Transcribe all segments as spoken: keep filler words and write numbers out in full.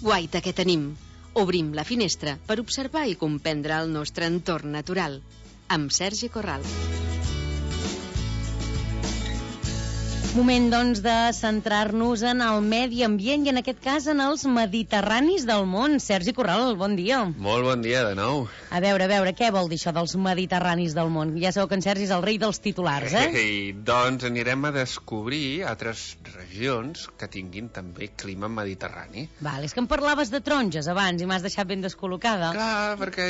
Guaita que tenim. Obrim la finestra per observar i comprendre el nostre entorn natural. Amb Sergi Corral. Moment, doncs, de centrar-nos en el medi ambient i, en aquest cas, en els mediterranis del món. Sergi Corral, bon dia. Molt bon dia, de nou. A veure, a veure, què vol dir això dels mediterranis del món? Ja sabeu que en Sergi és el rei dels titulars, eh? Ei, doncs anirem a descobrir altres regions que tinguin també clima mediterrani. Val, és que em parlaves de taronges abans i m'has deixat ben descol·locada. Clar, perquè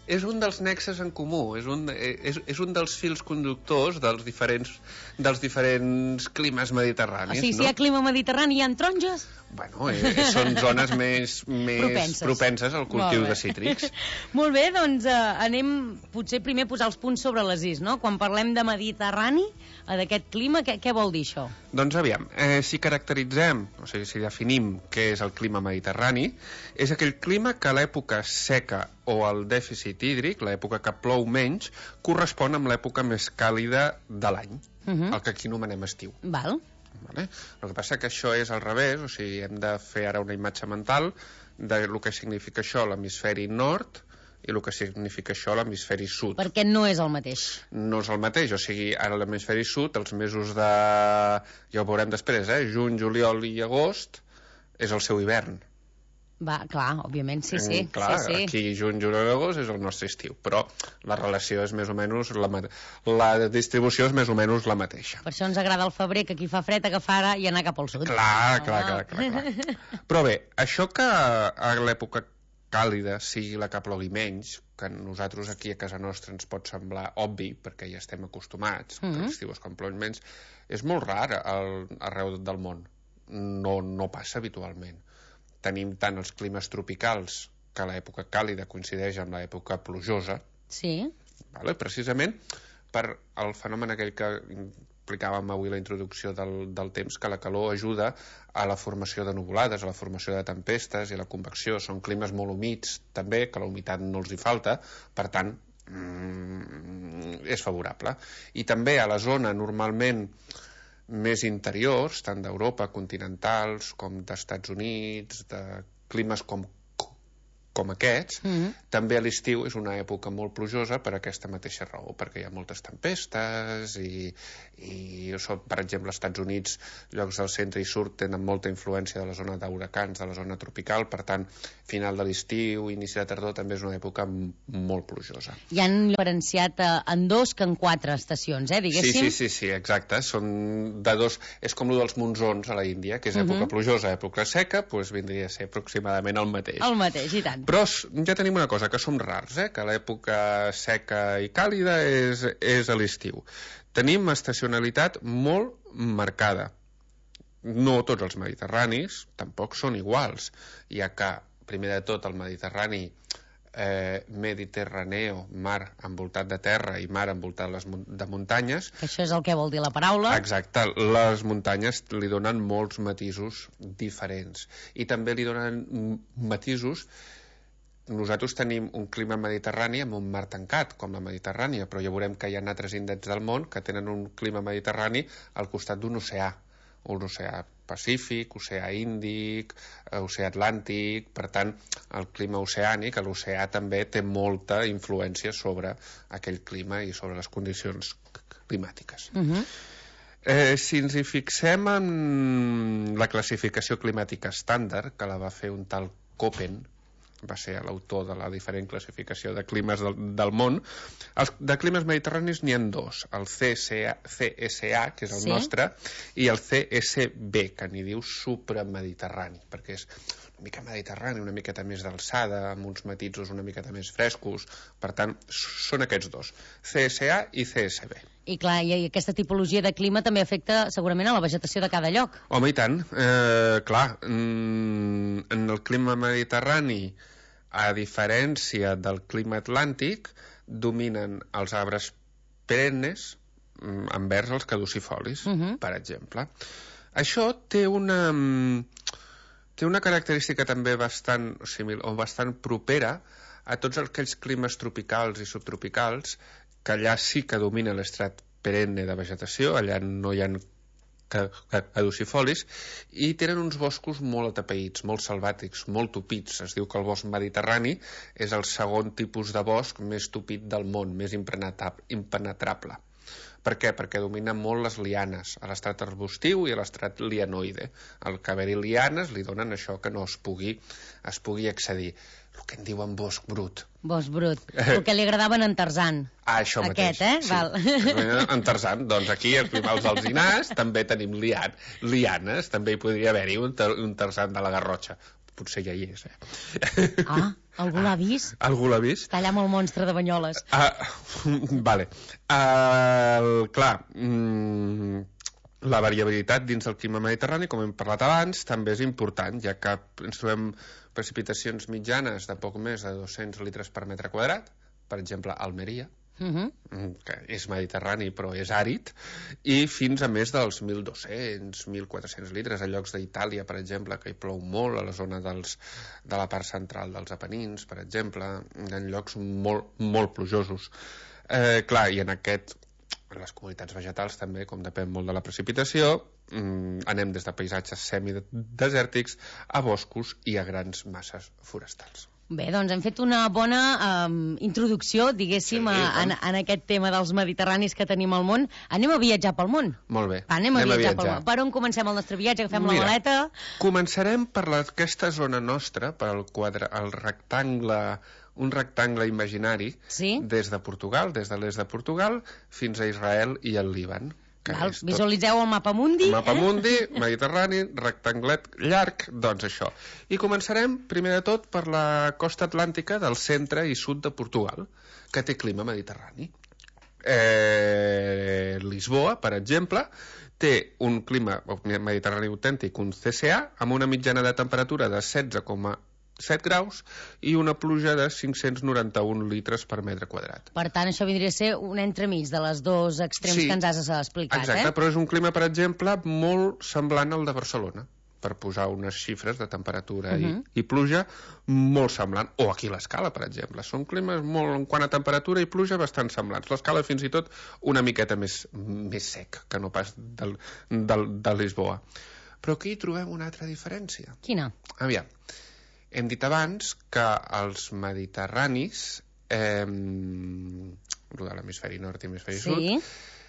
és un dels nexes en comú, és un, és, és un dels fils conductors dels diferents, dels diferents climes mediterranis. O sigui, no? si hi ha clima mediterrani, hi ha taronges? Bueno, eh, són zones més, més propenses. propenses al cultiu de cítrics. Molt bé, doncs eh, anem potser primer a posar els punts sobre les is, no? Quan parlem de Mediterrani, eh, d'aquest clima, què, què vol dir això? Doncs aviam, eh, si caracteritzem, o sigui, si definim què és el clima mediterrani, és aquell clima que a l'època seca o el dèficit hídric, l'època que plou menys, correspon amb l'època més càlida de l'any. Uh-huh. El que aquí anomenem estiu. Val. Vale? El que passa que això és al revés, o sigui, hem de fer ara una imatge mental de lo que significa això a l'hemisferi nord i el que significa això a l'hemisferi sud. Perquè no és el mateix. No és el mateix, o sigui, ara a l'hemisferi sud, els mesos de... ja ho veurem després, eh? Juny, juliol i agost és el seu hivern. Va, clar, òbviament, sí, sí. Clar, sí, sí. aquí juny, juliol i agost és el nostre estiu, però la relació és més o menys la, la distribució és més o menys la mateixa. Per això ens agrada el febrer, que aquí fa fred, agafar ara i anar cap al sud. Clar, clar, clar, clar, clar. Però bé, això que a l'època càlida sigui la que plogui menys, que nosaltres aquí a casa nostra ens pot semblar obvi, perquè ja estem acostumats, mm-hmm. que l'estiu és quan plou menys, és molt rar al, arreu del món. No, no passa habitualment. Tenim tant els climes tropicals, que l'època càlida coincideix amb l'època plujosa. Sí. Vale? Precisament per el fenomen aquell que explicàvem avui la introducció del, del temps, que la calor ajuda a la formació de nuvolades, a la formació de tempestes i a la convecció. Són climes molt humits, també, que la humitat no els hi falta, per tant, mm, és favorable. I també a la zona, normalment, més interiors, tant d'Europa, continentals, com d'Estats Units, de climes com, com aquests, mm-hmm. també a l'estiu és una època molt plujosa per aquesta mateixa raó, perquè hi ha moltes tempestes i, i per exemple, als Estats Units, llocs del centre i sud tenen molta influència de la zona d'huracans, de la zona tropical, per tant, final de l'estiu, inici de tardor, també és una època molt plujosa. I han diferenciat en dos que en quatre estacions, eh, diguéssim? Sí, sí, sí, sí, exacte. Són de dos... És com el dels monsons a la Índia, que és època uh-huh. plujosa, època seca, doncs vindria a ser aproximadament el mateix. El mateix, i tant. Però ja tenim una cosa, que som rars, eh? Que l'època seca i càlida és, és a l'estiu. Tenim estacionalitat molt marcada. No tots els mediterranis tampoc són iguals, ja que, primer de tot, el Mediterrani eh, mediterraneo, mar envoltat de terra i mar envoltat les, de muntanyes. Això és el que vol dir la paraula. Exacte, les muntanyes li donen molts matisos diferents i també li donen matisos. Nosaltres tenim un clima mediterrani amb un mar tancat, com la Mediterrània, però ja veurem que hi ha altres indrets del món que tenen un clima mediterrani al costat d'un oceà, un oceà Pacífic, oceà Índic, oceà Atlàntic. Per tant, el clima oceànic, l'oceà també té molta influència sobre aquell clima i sobre les condicions climàtiques. Uh-huh. Eh, si ens hi fixem en la classificació climàtica estàndard, que la va fer un tal Köppen, va ser l'autor de la diferent classificació de climes del, del món. Els, de climes mediterranis n'hi ha dos, el C S A, C S A, que és el sí. nostre, i el C S B, que n'hi diu supramediterrani, perquè és una mica mediterrani, una miqueta més d'alçada, amb uns matisos una miqueta més frescos. Per tant, són aquests dos, C S A i C S B. I clar, i aquesta tipologia de clima també afecta segurament a la vegetació de cada lloc. Home, i tant. Eh, clar, en el clima mediterrani, a diferència del clima atlàntic, dominen els arbres perennes envers els caducifolis, uh-huh. per exemple. Això té una, té una característica també bastant, o sigui, o bastant propera a tots aquells climes tropicals i subtropicals, que allà sí que domina l'estrat perenne de vegetació, allà no hi ha caducifolis, i tenen uns boscos molt atapeïts, molt selvàtics, molt tupits. Es diu que el bosc mediterrani és el segon tipus de bosc més tupit del món, més impenetrable. Per què? Perquè dominen molt les lianes, a l'estrat arbustiu i a l'estrat lianoide. El que haver-hi lianes li donen això que no es pugui, es pugui accedir. El que en diuen bosc brut. Bosc brut. El que li agradava en Tarzan. Ah, això mateix. Aquest, eh? Sí. Val. En Tarzan. Doncs aquí, als alzinars, també tenim lian, lianes. També hi podria haver-hi un, un Tarzan de la Garrotxa. Potser ja hi és, eh? Ah, algú l'ha vist? Algú l'ha vist? Està allà amb el monstre de Banyoles. Ah, vale. Uh, clar, mm, la variabilitat dins del clima mediterrani, com hem parlat abans, també és important, ja que ens trobem precipitacions mitjanes de poc més de dos-cents litres per metre quadrat, per exemple, a Almeria, Uh -huh. que és mediterrani però és àrid, i fins a més dels mil dos-cents, mil quatre-cents litres a llocs d'Itàlia, per exemple, que hi plou molt, a la zona dels, de la part central dels Apenins, per exemple, en llocs molt, molt plujosos. Eh, clar, i en aquest, en les comunitats vegetals també, com depèn molt de la precipitació, mm, anem des de paisatges semidesèrtics a boscos i a grans masses forestals. Bé, doncs hem fet una bona um, introducció, diguéssim, Sí, a, en, en aquest tema dels mediterranis que tenim al món. Anem a viatjar pel món. Molt bé. Va, anem, anem a, viatjar a viatjar pel món. Per on comencem el nostre viatge? Agafem Mira, la maleta? Començarem per la, aquesta zona nostra, per el, quadre, el rectangle, un rectangle imaginari, sí? Des de Portugal, des de l'est de Portugal, fins a Israel i el Líban. Val, visualitzeu el mapa mundi. El mapa eh? mundi, mediterrani, rectanglet llarg, doncs això. I començarem, primer de tot, per la costa atlàntica del centre i sud de Portugal, que té clima mediterrani. Eh, Lisboa, per exemple, té un clima mediterrani autèntic, un C C A, amb una mitjana de temperatura de setze coma set graus i una pluja de cinc-cents noranta-un litres per metre quadrat. Per tant, això vindria a ser un entremig de les dos extrems sí, que ens has explicat. Exacte, eh? Però és un clima, per exemple, molt semblant al de Barcelona, per posar unes xifres de temperatura uh -huh. i, i pluja molt semblant. O aquí l'Escala, per exemple. Són climes molt, en quant a temperatura i pluja, bastant semblants. L'Escala fins i tot una miqueta més, més sec que no pas del, del, de Lisboa. Però aquí hi trobem una altra diferència. Quina? Aviam. Hem dit abans que els mediterranis, eh, de l'hemisferi nord i l'hemisferi sí. sud,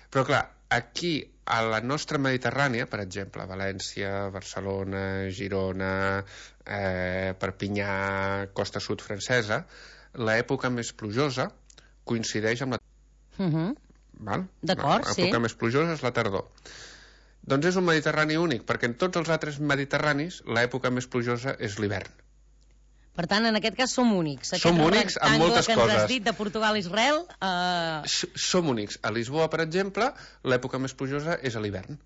però clar, aquí a la nostra Mediterrània, per exemple, València, Barcelona, Girona, eh, Perpinyà, costa sud francesa, l'època més plujosa coincideix amb la... Uh -huh. Val? D'acord, sí. L'època més plujosa és la tardor. Doncs és un Mediterrani únic, perquè en tots els altres Mediterranis l'època més plujosa és l'hivern. Per tant, en aquest cas som únics. Aquest som únics en moltes que coses. ens has dit de Portugal a Israel... Eh... Som únics. A Lisboa, per exemple, l'època més plujosa és a l'hivern.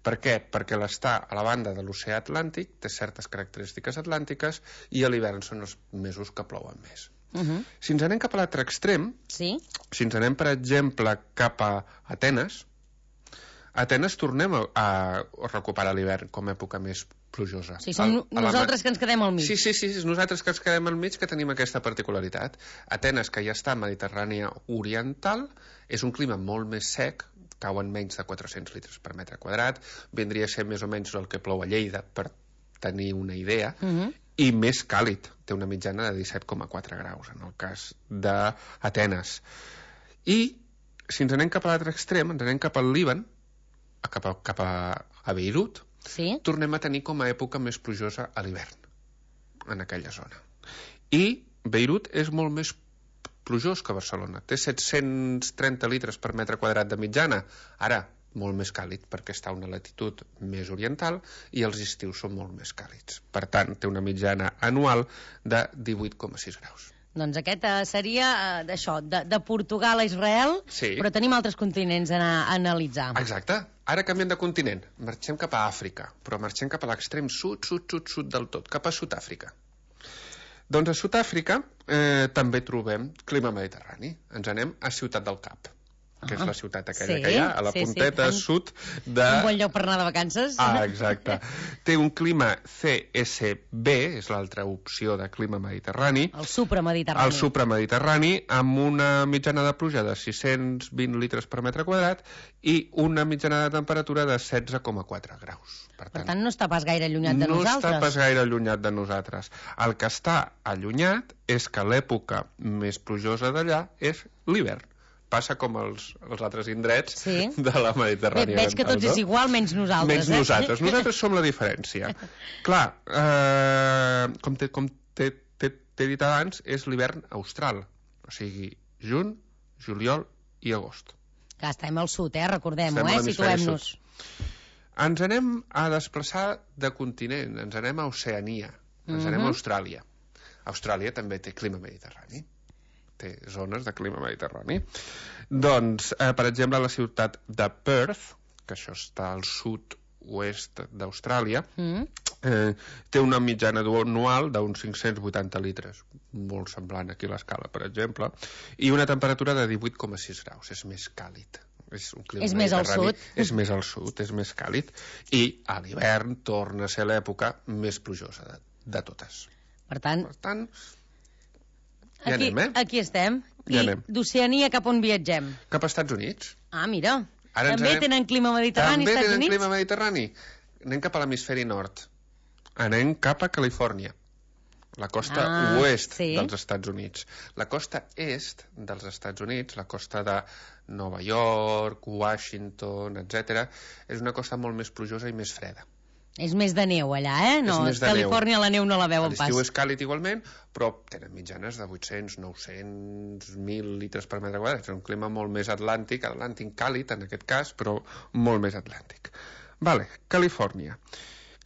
Per què? Perquè l'està a la banda de l'oceà Atlàntic, té certes característiques atlàntiques, i a l'hivern són els mesos que plouen més. Uh -huh. Si ens anem cap a l'altre extrem, sí? si ens anem, per exemple, cap a Atenes, a Atenes tornem a, a recuperar l'hivern com a època més plujosa. Sí, som a, a nosaltres la... que ens quedem al mig. Sí, sí, sí, és nosaltres que ens quedem al mig que tenim aquesta particularitat. Atenes, que ja està a Mediterrània oriental, és un clima molt més sec, cauen menys de quatre-cents litres per metre quadrat, vindria a ser més o menys el que plou a Lleida, per tenir una idea, uh -huh. i més càlid, té una mitjana de disset coma quatre graus, en el cas d'Atenes. I, si ens anem cap a l'altre extrem, ens anem cap al Líban, cap a, cap a, a Beirut, sí? tornem a tenir com a època més plujosa a l'hivern, en aquella zona. I Beirut és molt més plujós que Barcelona. Té set-cents trenta litres per metre quadrat de mitjana. Ara, molt més càlid, perquè està a una latitud més oriental i els estius són molt més càlids. Per tant, té una mitjana anual de divuit coma sis graus. Doncs aquest uh, seria uh, d'això, de, de Portugal a Israel, sí. Però tenim altres continents a, a analitzar. Exacte. Ara canviem de continent. Marxem cap a Àfrica, però marxem cap a l'extrem sud, sud, sud, sud del tot, cap a Sud-àfrica. Doncs a Sud-àfrica eh, també trobem clima mediterrani. Ens anem a Ciutat del Cap. que és la ciutat aquella sí, que hi ha, a la sí, punteta sí. sud de... Un bon lloc per anar de vacances. Ah, exacte. Té un clima C S B, és l'altra opció de clima mediterrani. El supramediterrani. El supramediterrani, amb una mitjana de pluja de sis-cents vint litres per metre quadrat i una mitjana de temperatura de setze coma quatre graus. Per tant, per tant no està pas gaire allunyat de no nosaltres. No està pas gaire allunyat de nosaltres. El que està allunyat és que l'època més plujosa d'allà és l'hivern. Passa com els, els altres indrets sí. de la Mediterrània. Bé, veig que tots és igual, menys nosaltres. Menys eh? nosaltres. Nosaltres som la diferència. Clar, eh, com t'he com dit abans, és l'hivern austral. O sigui, juny, juliol i agost. Que estem al sud, eh? Recordem-ho, eh? Situem-nos. Ens anem a desplaçar de continent, ens anem a Oceania, ens mm-hmm. anem a Austràlia. Austràlia també té clima mediterrani. Té zones de clima mediterrani. Doncs, eh, per exemple, la ciutat de Perth, que això està al sud-oest d'Austràlia, mm. eh, té una mitjana anual d'uns cinc-cents vuitanta litres, molt semblant aquí a l'escala, per exemple, i una temperatura de divuit coma sis graus. És més càlid. És, un clima és més al sud. És més al sud, és més càlid. I a l'hivern torna a ser l'època més plujosa de, de totes. Per tant... Per tant Ja aquí, anem, eh? Aquí estem. Ja I d'Oceania cap on viatgem? Cap a Estats Units. Ah, mira. Ara també anem... tenen clima mediterrani, També Estats tenen Units? clima mediterrani. Anem cap a l'hemisferi nord. Anem cap a Califòrnia. La costa ah, oest sí. dels Estats Units. La costa est dels Estats Units, la costa de Nova York, Washington, etcètera, és una costa molt més plujosa i més freda. És més de neu allà, eh? No, és Califòrnia neu. La neu no la veuen pas. L'estiu és càlid igualment, però tenen mitjanes de vuit-cents, nou-cents, mil litres per metre quadrat. És un clima molt més atlàntic, atlàntic càlid en aquest cas, però molt més atlàntic. Vale, Califòrnia.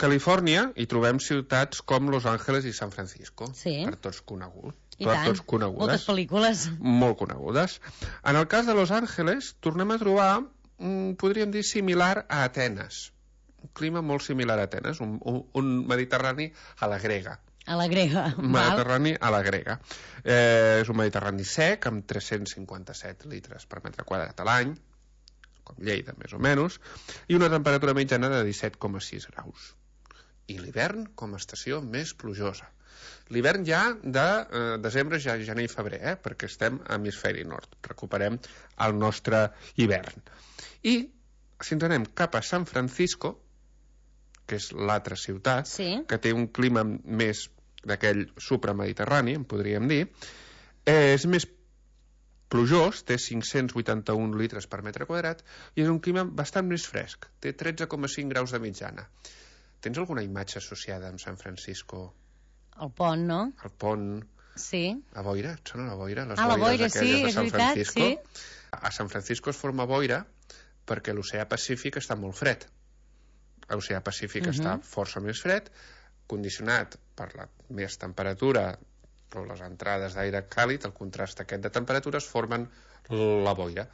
Califòrnia hi trobem ciutats com Los Angeles i San Francisco, sí. per tots coneguts. I tant, tots conegudes, moltes pel·lícules. Molt conegudes. En el cas de Los Angeles, tornem a trobar, mm, podríem dir, similar a Atenes. Un clima molt similar a Atenes, un, un, un mediterrani a la grega. A la grega. Un mediterrani a la grega. Eh, és un mediterrani sec, amb tres-cents cinquanta-set litres per metre quadrat a l'any, com Lleida, més o menys, i una temperatura mitjana de disset coma sis graus. I l'hivern com a estació més plujosa. L'hivern ja de eh, desembre, ja gener i febrer, eh, perquè estem a hemisferi nord. Recuperem el nostre hivern. I si ens anem cap a San Francisco, que és l'altra ciutat, sí. que té un clima més d'aquell supramediterrani, en podríem dir, eh, és més plujós, té cinc-cents vuitanta-un litres per metre quadrat, i és un clima bastant més fresc, té tretze coma cinc graus de mitjana. Tens alguna imatge associada amb San Francisco? El pont, no? El pont... Sí. La boira, et sona la boira? Les ah, la boira, sí, de és San veritat, Francisco. sí. A San Francisco es forma boira perquè l'oceà Pacífic està molt fred. L'oceà Pacífic uh-huh. està força més fred, condicionat per la més temperatura o les entrades d'aire càlid, el contrast aquest de temperatures formen la boira.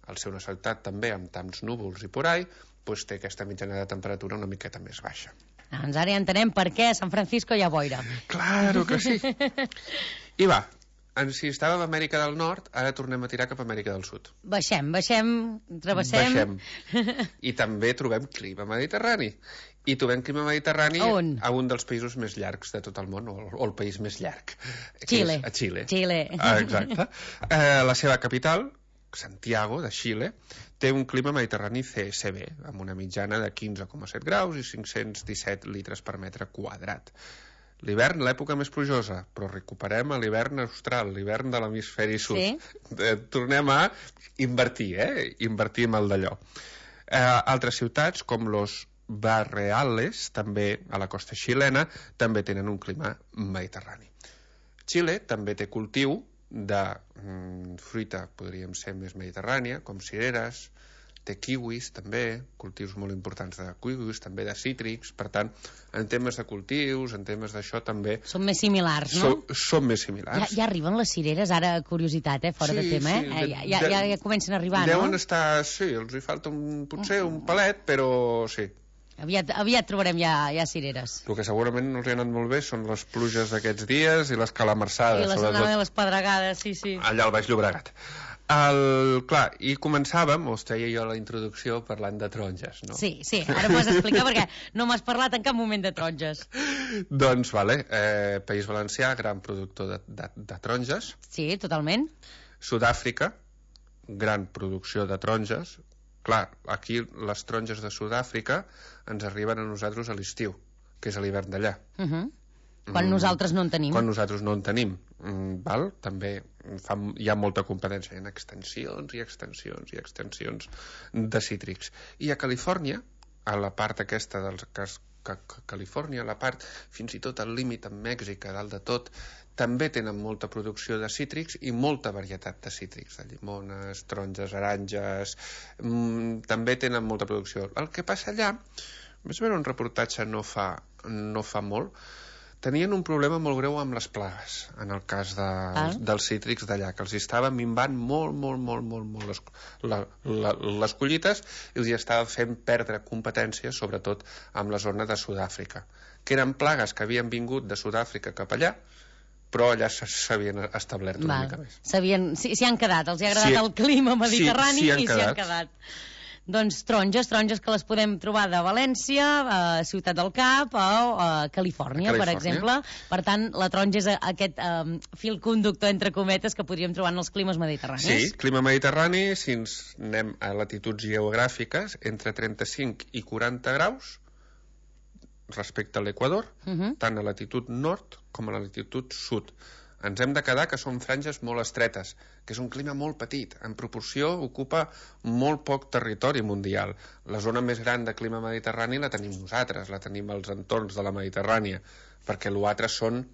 Al ser una ciutat també amb tants núvols i por ahí, doncs té aquesta mitjana de temperatura una miqueta més baixa. Doncs ara ja entenem per què a San Francisco hi ha boira. Claro que sí. I va, si estàvem a Amèrica del Nord, ara tornem a tirar cap a Amèrica del Sud. Baixem, baixem, travessem... Baixem. I també trobem clima mediterrani. I trobem clima mediterrani a, a un dels països més llargs de tot el món, o, o el país més llarg. Xile. A Xile. Xile. Ah, exacte. Eh, la seva capital, Santiago, de Xile, té un clima mediterrani C S B, amb una mitjana de quinze coma set graus i cinc-cents disset litres per metre quadrat. L'hivern, l'època més plujosa, però recuperem l'hivern austral, l'hivern de l'hemisferi sud. Sí. Eh, tornem a invertir, eh? Invertir amb el d'allò. Eh, altres ciutats, com Los Barreales, també a la costa xilena, també tenen un clima mediterrani. Xile també té cultiu de mm, fruita, podríem ser més mediterrània, com cireres, té kiwis també, cultius molt importants de kiwis, també de cítrics, per tant, en temes de cultius, en temes d'això també... Són més similars, no? Són, són més similars. Ja, ja arriben les cireres, ara curiositat, eh, fora sí, de tema, sí, eh? Ja, ja, ja, ja comencen a arribar, deuen no? Deuen estar, sí, els hi falta un, potser un palet, però sí. Aviat, aviat trobarem ja, ja cireres. El que segurament no els hi ha anat molt bé són les pluges d'aquests dies i les calamarsades. I les anades i les pedregades, sí, sí. Allà al Baix Llobregat. El, clar, i començàvem, o treia jo la introducció parlant de taronges, no? Sí, sí, ara m'ho has d'explicar perquè no m'has parlat en cap moment de taronges. Doncs, vale, eh, País Valencià, gran productor de, de, de taronges. Sí, totalment. Sud-àfrica, gran producció de taronges. Clar, aquí les taronges de Sud-àfrica ens arriben a nosaltres a l'estiu, que és a l'hivern d'allà. Uh -huh. Quan mm, nosaltres no en tenim. Quan nosaltres no en tenim. Mm, val? També fa, hi ha molta competència en extensions i extensions i extensions de cítrics. I a Califòrnia, a la part aquesta dels cas que, que Califòrnia, a la part fins i tot al límit amb Mèxic, a dalt de tot, també tenen molta producció de cítrics i molta varietat de cítrics, de llimones, taronges, aranges, mm, també tenen molta producció. El que passa allà, vaig veure un reportatge no fa, no fa molt, tenien un problema molt greu amb les plagues, en el cas de, ah. dels cítrics d'allà, que els estava minvant molt, molt, molt, molt, molt les, la, la, les collites i els estava fent perdre competència, sobretot amb la zona de Sud-àfrica, que eren plagues que havien vingut de Sud-àfrica cap allà, però allà s'havien establert una Val. mica més. S'hi sí, han quedat, els ha agradat sí, el clima mediterrani sí, sí i s'hi han quedat. Doncs taronges, taronges que les podem trobar de València, a Ciutat del Cap o a Califòrnia, a Califòrnia, per exemple. Per tant, la taronja és aquest um, fil conductor, entre cometes, que podríem trobar en els climes mediterranis. Sí, clima mediterrani, si ens anem a latituds geogràfiques, entre trenta-cinc i quaranta graus respecte a l'Equador, uh -huh. tant a latitud nord com a la latitud sud. Ens hem de quedar que són franges molt estretes, que és un clima molt petit. En proporció ocupa molt poc territori mundial. La zona més gran de clima mediterrani la tenim nosaltres, la tenim als entorns de la Mediterrània, perquè l'altre són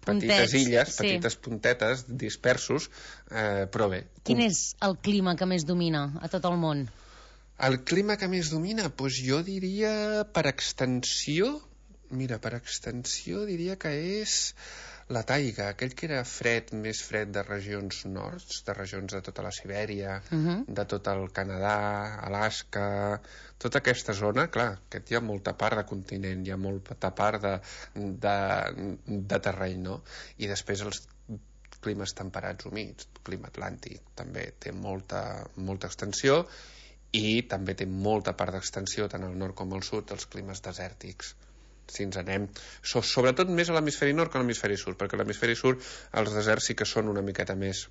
petites Puntets, illes, sí. petites puntetes, dispersos, eh, però bé. Quin és el clima que més domina a tot el món? El clima que més domina? Doncs jo diria, per extensió, mira, per extensió diria que és la taiga, aquell que era fred, més fred de regions nords, de regions de tota la Sibèria, uh -huh. de tot el Canadà, Alaska, tota aquesta zona, clar, que hi ha molta part de continent, hi ha molta part de, de, de terreny, no? I després els climes temperats humits, el clima atlàntic també té molta, molta extensió i també té molta part d'extensió tant al nord com al sud dels climes desèrtics. Si ens anem, so, sobretot més a l'hemisferi nord que a l'hemisferi sud, perquè a l'hemisferi sud els deserts sí que són una miqueta més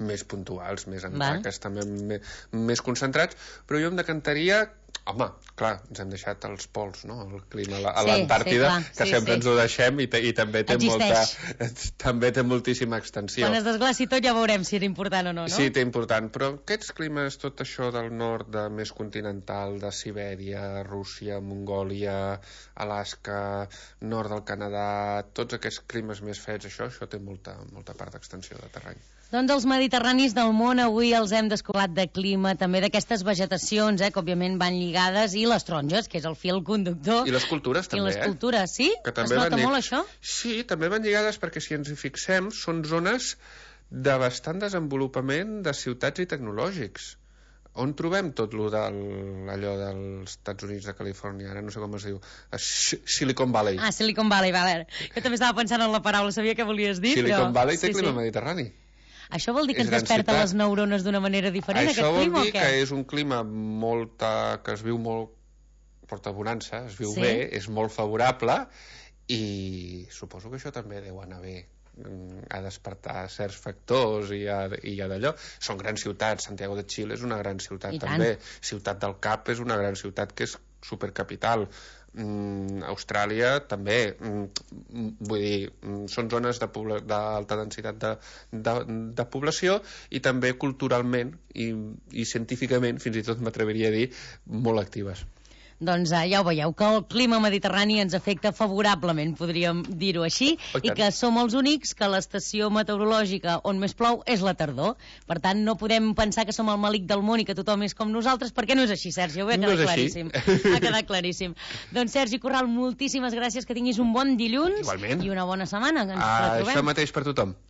més puntuals, més en taques, també més, més concentrats, però jo em decantaria, home, clar, ens hem deixat els pols, no?, el clima a l'Antàrtida, sí, sí, que sí, sempre sí. ens ho deixem i, i també té Existeix. molta també té moltíssima extensió. Quan es desglaci tot ja veurem si era important o no, no? Sí, té important, però aquests climes, tot això del nord, de més continental, de Sibèria, Rússia, Mongòlia, Alaska, nord del Canadà, tots aquests climes més freds, això, això té molta, molta part d'extensió de terreny. Doncs els mediterranis del món avui els hem descobert de clima, també d'aquestes vegetacions, eh, que òbviament van lligades, i les taronges, que és el fil conductor. I les cultures també, I les cultures, sí? Que també es nota llig... molt això? Sí, també van lligades perquè si ens hi fixem són zones de bastant desenvolupament de ciutats i tecnològics. On trobem tot lo del, allò dels Estats Units de Califòrnia? Ara no sé com es diu. Silicon Valley. Ah, Silicon Valley, vale. Jo també estava pensant en la paraula, sabia què volies dir, Silicon però... Valley té sí, clima sí. mediterrani. Això vol dir que ens desperta ciutat. les neurones d'una manera diferent, Això aquest clima, o què? Això vol dir que és un clima molta, que es viu molt, porta bonança, es viu sí. bé, és molt favorable, i suposo que això també deu anar bé a despertar certs factors i a, i a d'allò. Són grans ciutats, Santiago de Chile és una gran ciutat també, Ciutat del Cap és una gran ciutat que és supercapital. Mm, Austràlia també, mm, vull dir, mm, són zones d'alta densitat de, de, de població i també culturalment i, i científicament, fins i tot m'atreviria a dir, molt actives. Doncs eh, ja ho veieu, que el clima mediterrani ens afecta favorablement, podríem dir-ho així, oh, i que som els únics que l'estació meteorològica on més plou és la tardor. Per tant, no podem pensar que som el malic del món i que tothom és com nosaltres, perquè no és així, Sergi, ho ha quedat no claríssim. Ha quedat claríssim. Doncs, Sergi Corral, moltíssimes gràcies, que tinguis un bon dilluns. Igualment. I una bona setmana. Que ens ah, això mateix per tothom.